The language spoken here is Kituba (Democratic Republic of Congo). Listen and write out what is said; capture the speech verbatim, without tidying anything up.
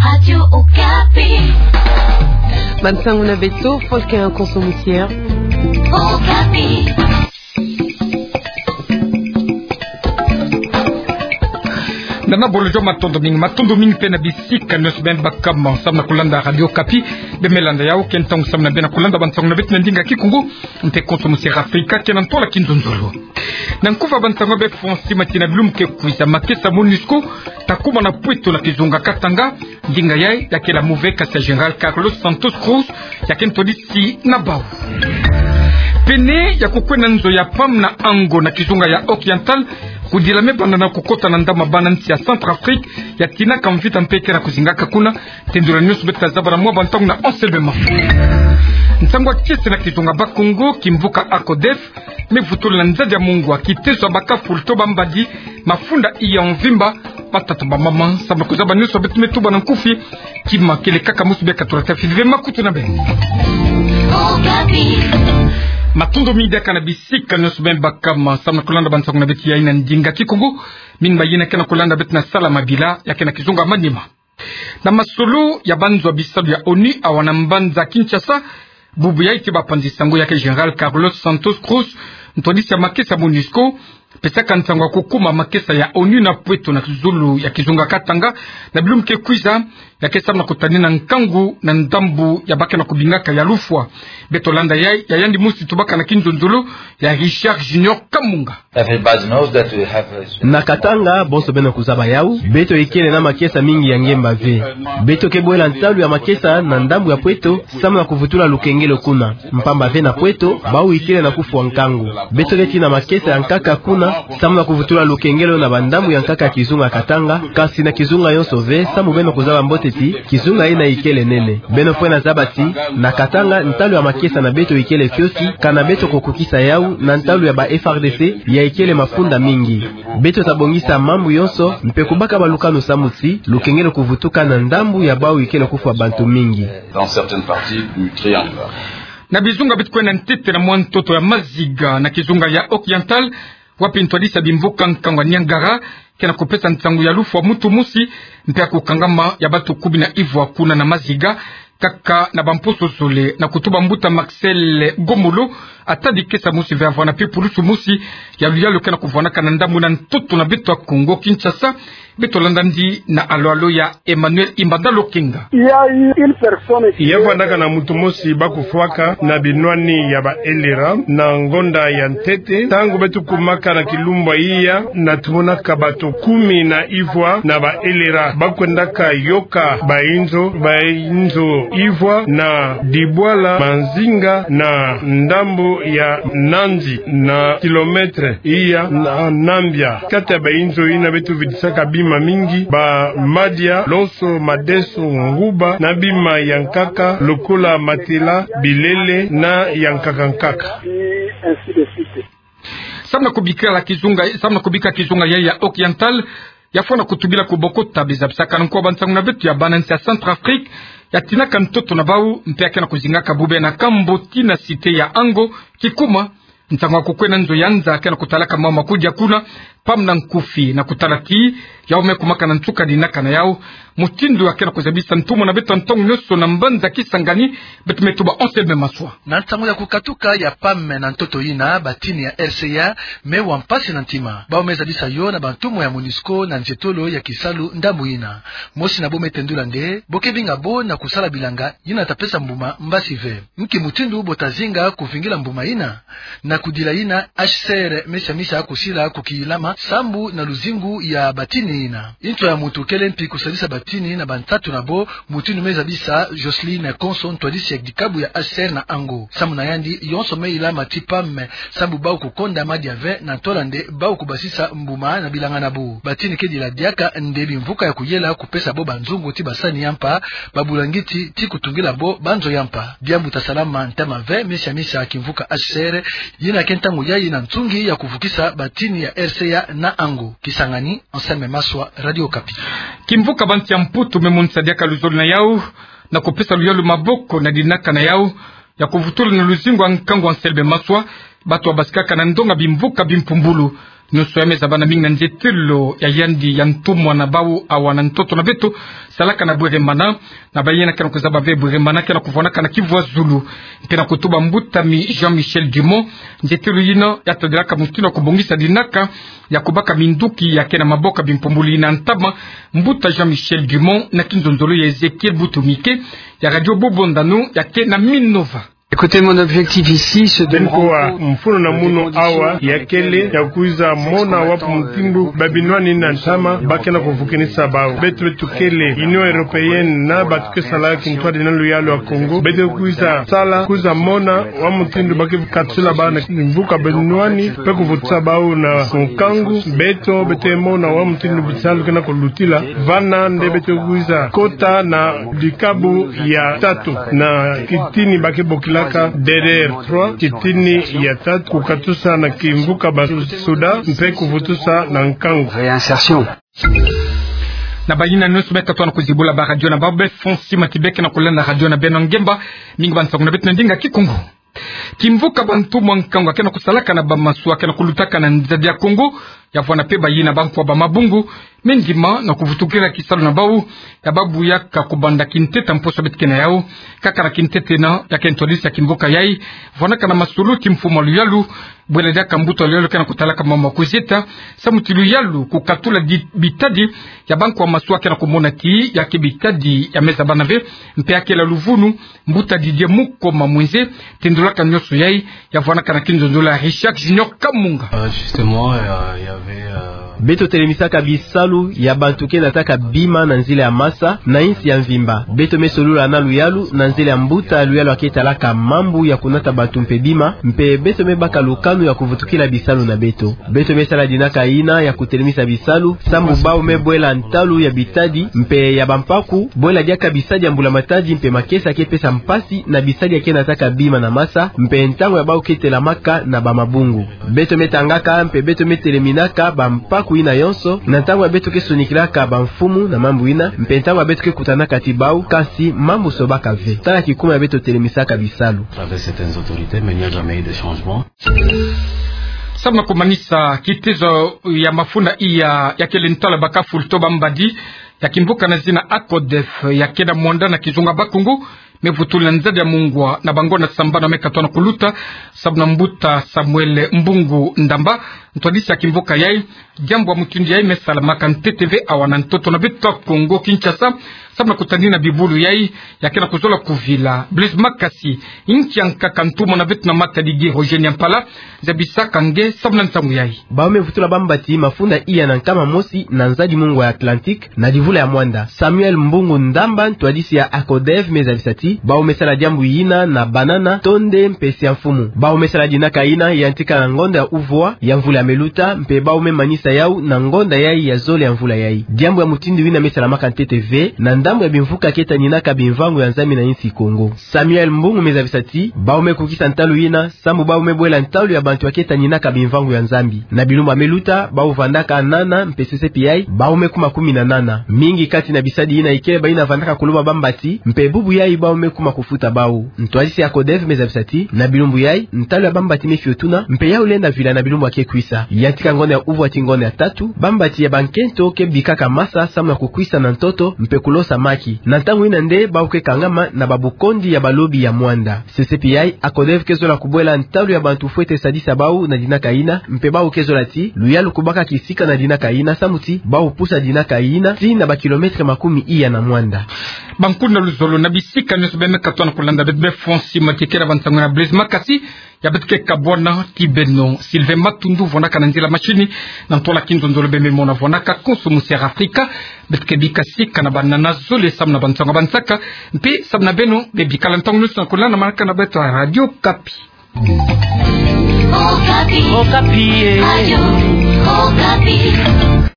Radio Okapi. Bansango na beto, Volker Konso Musier. Okapi. Nana Bolojo, matondo mingi, matondo mingi mpe na bisika nyonso beno baka mo samu na kulanda Radio Okapi. Beno me landa yawu, ke ntangu samu na beno kulanda bansango na beto na ndinga Kikongo, mpe Konso Musier Afrika, ke na ntola kinzonzolo. Na nkufi ya bansango beno fwa nsi mati na bilumbu ke kwiza, makesa MONUSCO ta kuma na Pweto na kizunga Katanga. Ndinga yayi ya kele ya move kasi ya Général Carlos Santos Cruz, ya ke ntwadisi na bawu. Pene ya kukwenda nzo ya Pam na Ango na kizunga ya Oriental, kudila me banda na kukota na ndambu ya bana nsi ya Centrafrique, ya tinaka mvita mpe ke na kuzingaka kuna. Tendula nyonso beto ta zaba na mwa bantangu na Anselme Mafo. Nsangu ya kiese na kizunga Bakongo, kimvuka ACODEF me vutula na nzadi ya mungwa kitezo ya makafu lutoba mbadi, mafunda iya mvimba. Batata, bamama, samu na kuzaba nyonso beto me tuba na nkufi, kima kele kaka mosi bia katula ta fidhi ve makutu na beno. Matondo mingi diaka na bisika nyonso beno baka mo samu na kulanda bansango na beto yayi na ndinga Kikongo. Mingi mayena ke na kulanda beto na Salamabila, ya ke na kizunga Maniema. Na masolo ya banzo ya bisalu ya ONU awa na mbanza Kinshasa, bubu yayi ti bapanzi sango ya ke Général Carlos Santos Cruz, ntwadisi ya makesa MONUSCO, pesaka nsangu ya kukuma makesa ya ONU na Pweto na kizulu ya kizunga Katanga, na bilumbu ke kwiza, ya ke samu na kutanina nkangu na ndambu ya ba ke na kubingaka ya lufwa. Beto landa yayi, ya yandi mosi tubaka na kinzonzolo, ya Richard Junior Kamunga. Everybody knows that we have a... Na Katanga, bonso beno kuzaba yawu, beto ikele na makesa mingi ya ngemba ve. Beto ke bwela ntalu ya makesa na ndambu ya Pweto, samu na kuvutula lukengelo kuna. Mpamba ve na Pweto, bawu ikele na kufwa nkangu. Beto ke tina makesa ya nkaka kuna, samu na kuvutula lukengelo na bandambu ya nkaka ya kizunga Katanga, kasi na kizunga yonso ve, samu beno kuzaba mbote ti, kizunga yina ikele nene. Beno fwena zaba ti, na Katanga, ntalu ya makesa na beto ikele kiokio, kana beto kukokisa yawu, na ntalu ya ba F R D C, ya ikele mafunda mingi. Beto ta bongisa mambu yonso, mpe kubaka balukanu samu ti, lukengelo kuvutuka na ndambu ya bawu ikele kufwa bantu mingi. Dans certaines parties du triangle. Na bizunga beto kwenda ntete na mwa ntoto ya maziga, na kizunga ya Oriental, wapi ntwadisi ya bimvuka nkangu ya Niangara ke na kupesa nsangu ya lufwa muntu mosi, mpe ya kukangama ya bantu kumi na ivwa kuna na maziga, kaka na bamposo zole, na kutuba mbuta Marcel Gomolo, atadi kesa mosi ve avwanda mpe pulusu mosi ya luyalu ke na kuvwandaka na ndambu na ntoto na beto ya Kongo Kinshasa. Beto landa yandi na alo-alo ya Emmanuel Imbanda Lokenga. Il y a eu une personne qui... Ya vwandaka na muntu mosi ba kufwaka na binwani ya ba elera na ngonda ya ntete. Ntangu beto kumaka na kilumbu ya iya, na tumonaka bato kumi na ivwa na ba elera ba kwendaka yoka bainzo, bainzo ivwa na Dibwala Manzinga na ndambu ya Nandi na kilomètre iya na Nambia. Kati ya bainzo yina beto vidisaka bima mingi, ba madia, lonso, madeso, nguba, na bima ya nkaka, lokola matela, bilele, na ya nkaka nkaka. Ainsi de suite. Samu na kubika kizunga, samu na kubika kizunga yayi ya Oriental, ya fwana kutubila kubokota bizabisakana nko ya bansangu na beto ya bana nsi ya Centrafrique, ya tinaka ntoto na bawu, mpe ya ke na kuzingaka bobena kambo tii na cité ya Ango, kikuma, nsangu ya kukwenda nzo ya nza ke na kutalaka mawu ma kudia kuna, pamba na nkufi na kutala ti, yawu me kumaka na nsuka dinaka na yawu, mutindu ya ke na kuzabisa ntumwa na beto ntangu nyonso na mbanza Kisangani, beto me tuba Anselme Maswa. Na nsangu ya kukatuka ya Pam na ntoto yina, batini ya R C A me wa mpasi na ntima. Bawu me zabisa yo na bantumwa ya MONUSCO na nzietolo ya kisalu ndambu yina. Mosi na bo me tendula nde, bo ke binga bo na kusala bilanga yina ta pesa mbuma mbasi ve. Nki mutindu bo ta zinga kuvingila mbuma yina? Na kudila yina, H C R me siamisa kusila kukilama sambu na luzingu ya batini yina. Nto ya muntu kele mpi kusalisa batini na bantatu na bo, mutindu me zabisa Jocelyne Konso, ntwadisi ya dikabu ya H C R na Ango. Samu na yandi, yonso me ilama ti Pam, sambu bawu kukonda madia ve, na ntola nde bawu kubasisa mbuma na bilanga na bo. Batini ke dila diaka nde bimvuka ya kuyela kupesa bo banzungu ti basani ya mpa, babulangiti ti kutungila bo banzo ya mpa. Diambu ta salama ntama ve, me siamisa kimvuka H C R, yina ke ntangu yayi na nsungi ya kuvukisa batini ya R C A na Ango. Kisangani, Anselme Maswa, Radio Okapi. Kimvuka bansi ya Mputu me monisa diaka luzolo na yawu, na kupesa luyalu maboko na dinaka na yawu, ya kuvutula na luzingu ya nkangu Anselme Maswa, bato babasikaka na ndonga bimvuka bimpumbulu. Nyonso ya me zaba na mingi na nzietelo ya yandi ya ntumwa na bau awa na ntoto na beto, salaka na bweremana, na bayina ke na kuzaba ve bweremana ke na kuvwanaka na kivwa zulu. Mpe na kutuba mbuta mi Jean-Michel Dumont, nzietelo yina ya tadilaka mutindu ya kubongisa dinaka ya kubaka minduki ya ke na maboko ya bimpumbulu yina ntama. Mbuta Jean-Michel Dumont na kinzonzolo ya Ezekiel Butumike ya Radio Bobo Ndanu ya ke na Minova. Écoutez, mon objectif ici, c'est de me rendre compte que les détenus de Beni Kowa, mfunu na munu awa ya kele ya kwiza mona wapi mutindu ba binwani na ntama ba ke na kuvukinisa bau. Beto, beto kele Union Européenne na bantu ke sala kintwadi na luyalu ya Kongo. Beto kwiza sala, kwiza mona wapi mutindu ba ke katusila bau na mvuka binwani, mpe kuvutisa bau na nkangu. Beto, beto mona wapi mutindu bisalu ke na kulutila. Vana nde beto kwiza kota na dikabu ya tatu, na kitini ba ke bokilaka D D R trois, kitini ya tatu, kukatusa na kimvuka ba Suda, mpe kuvutusa na nkangu. Réinsertion. Na bayina nyonso me tatona kuzibula ba radio na bau, be fond sima ti be ke na kulanda radio na beno ngemba, mingi ba nsangu na beto na ndinga Kikongo. Kimvuka bantumwa nkangu ya ke na kusalaka na bamasuwa ke na kulutaka na nzadi ya Kongo, ya vwanda mpe bayina bankwa ba mabungu, me ndima na kuvutukila kisalu na bau, ya ba buyaka kubanda kintete mposo beto ke na yau. Kaka na kintete yina, ya ke ntwadisi ya kimvuka yai vwandaka na masolo ti mfumu a luyalu, bwela diaka mbuta a luyalu ke na kutalaka mambu ya kuzieta, samu ti luyalu kukatula di bitadi ya bankwa masuwa ke na kumona ti ya ke bitadi ya me zaba na ve, mpe ya kela luvunu. Mbuta Didier Mukoma Mwenze tendulaka nyonso yai, ya vwandaka na kinzonzolo ya Richard Junior Kamunga. Euh, justement, euh, il y avait, euh, Beto telemisaka bisalu ya bantu ke nataka bima na nzila ya masa na insi ya mvimba. Beto me solola na luyalu na nzila ya mbuta luyalu ya ke talaka mambu ya kunata bantu mpe bima, mpe beto me baka lukanu ya kuvutukila bisalu na beto. Beto me sala dinaka yina ya kutelemisa bisalu, samu bau me bwela ntalu ya bitadi mpe ya bampaku, bwela diaka bisadi ya mbula matadi mpe makesa ke pesa mpasi na bisadi ya ke nataka bima na masa, mpe ntangu ya bau ke telamaka na ba mabungu. Beto me tangaka mpe beto me teleminaka bampaku yina yonso, na ntangu ya beto ke sonikilaka bamfumu na mambu yina, mpe ntangu ya beto ke kutanaka ti bau, kasi mambu sobaka ve. Tala kikuma ya beto telemisaka bisalu. Avec certaines autorités, mais il n'y a jamais eu de changement. Samu na kumanisa kitezo ya mafunda iya ya kele ntalu ya bakafulu to bambadi ya kimvuka na zina ACODEF ya ke na Muanda na kizunga Bakongo, me vutula nzadi ya mungwa na bangonda sambanu me katona kuluta, samu na mbuta Samuel Mbungu Ndamba, ntwadisi ya kimvuka yai. Diambu ya mutindu yai me salamaka ntete ve awa na ntoto na beto Kongo Kinshasa, samu na kutanina bibulu yai ya ke na kuzola kuvila. Blaise Makasi, inki ya nkaka ntumwa na beto na Matadi Guy Roger Nyampala zabisaka nge samu na nsangu yai. Bau me vutula bambati mafunda iya na nkama mosi na nzadi mungwa ya Atlantique, na divula ya Muanda. Samuel Mbungu Ndamba, ntwadisi ya ACODEF, me zabisa ti bau me sala diambu yina na banana, tonde mpe siamfumu. Bau me sala dinaka yina yantika na ngonda ya uvwa ya mvula ya me luta, mpe bau me manisa yau na ngonda yai ya zole ya mvula yai. Diambu ya mutindu yina me salamaka ntete ve na ndambu ya bimvuka ke taninaka bimvangu ya Nzambi na insi Kongo. Samuel Mbungu me zabisa ti bau me kukisa ntalu yina, samu bau me bwela ntalu ya bantu ya ke taninaka bimvangu ya Nzambi. Na bilumbu ya me luta, bau vandaka nana mpe sesepi yai, bau me kuma kumi na nana. Mingi kati na bisadi yina ikele bayina vandaka kuloba bambati, mpe bubu yai bau me kuma kufuta bau. Ntwadisi ya ACODEF me zabisa ti na bilumbu yai, ntalu ya bambati me fiotuna, mpe yau lenda vila na bilumbu ya ke kwisa. Yantika ngonda ya uvwa tii ngonda ya tatu, bambati ya bankento ke bikaka masa samu na kukwisa na ntoto, mpe kulosa maki. Na ntangu yina nde bau ke kangama na babukondi ya balobi ya Muanda. Sesepi yai, ACODEF ke zola kubwela ntalu ya bantu fwete sadisa bau na dinaka yina, mpe bau ke zola ti luyalu kubaka kisika na dinaka yina, samu ti bau pusa dinaka yina tii na bakilometre makumi iya na Muanda. Bankuna luzolo na bisika nyonso be me katona kulanda beto, be fond sima ti kele ba nsangu na Blaise Makasi, ya beto ke kabwana ti beno Sylvain Matundu, vwanaka na nzila machine, na ntola kinzonzolo be me mona vwanaka konso musi ya Afrika. Beto ke bika sika na banana zole samu na ba nsangu ya bansaka, mpe samu na beno be bikala ntangu nyonso na kulanda manaka na beto ya Radio Okapi. Okapi. Okapi, eh. Radio Okapi.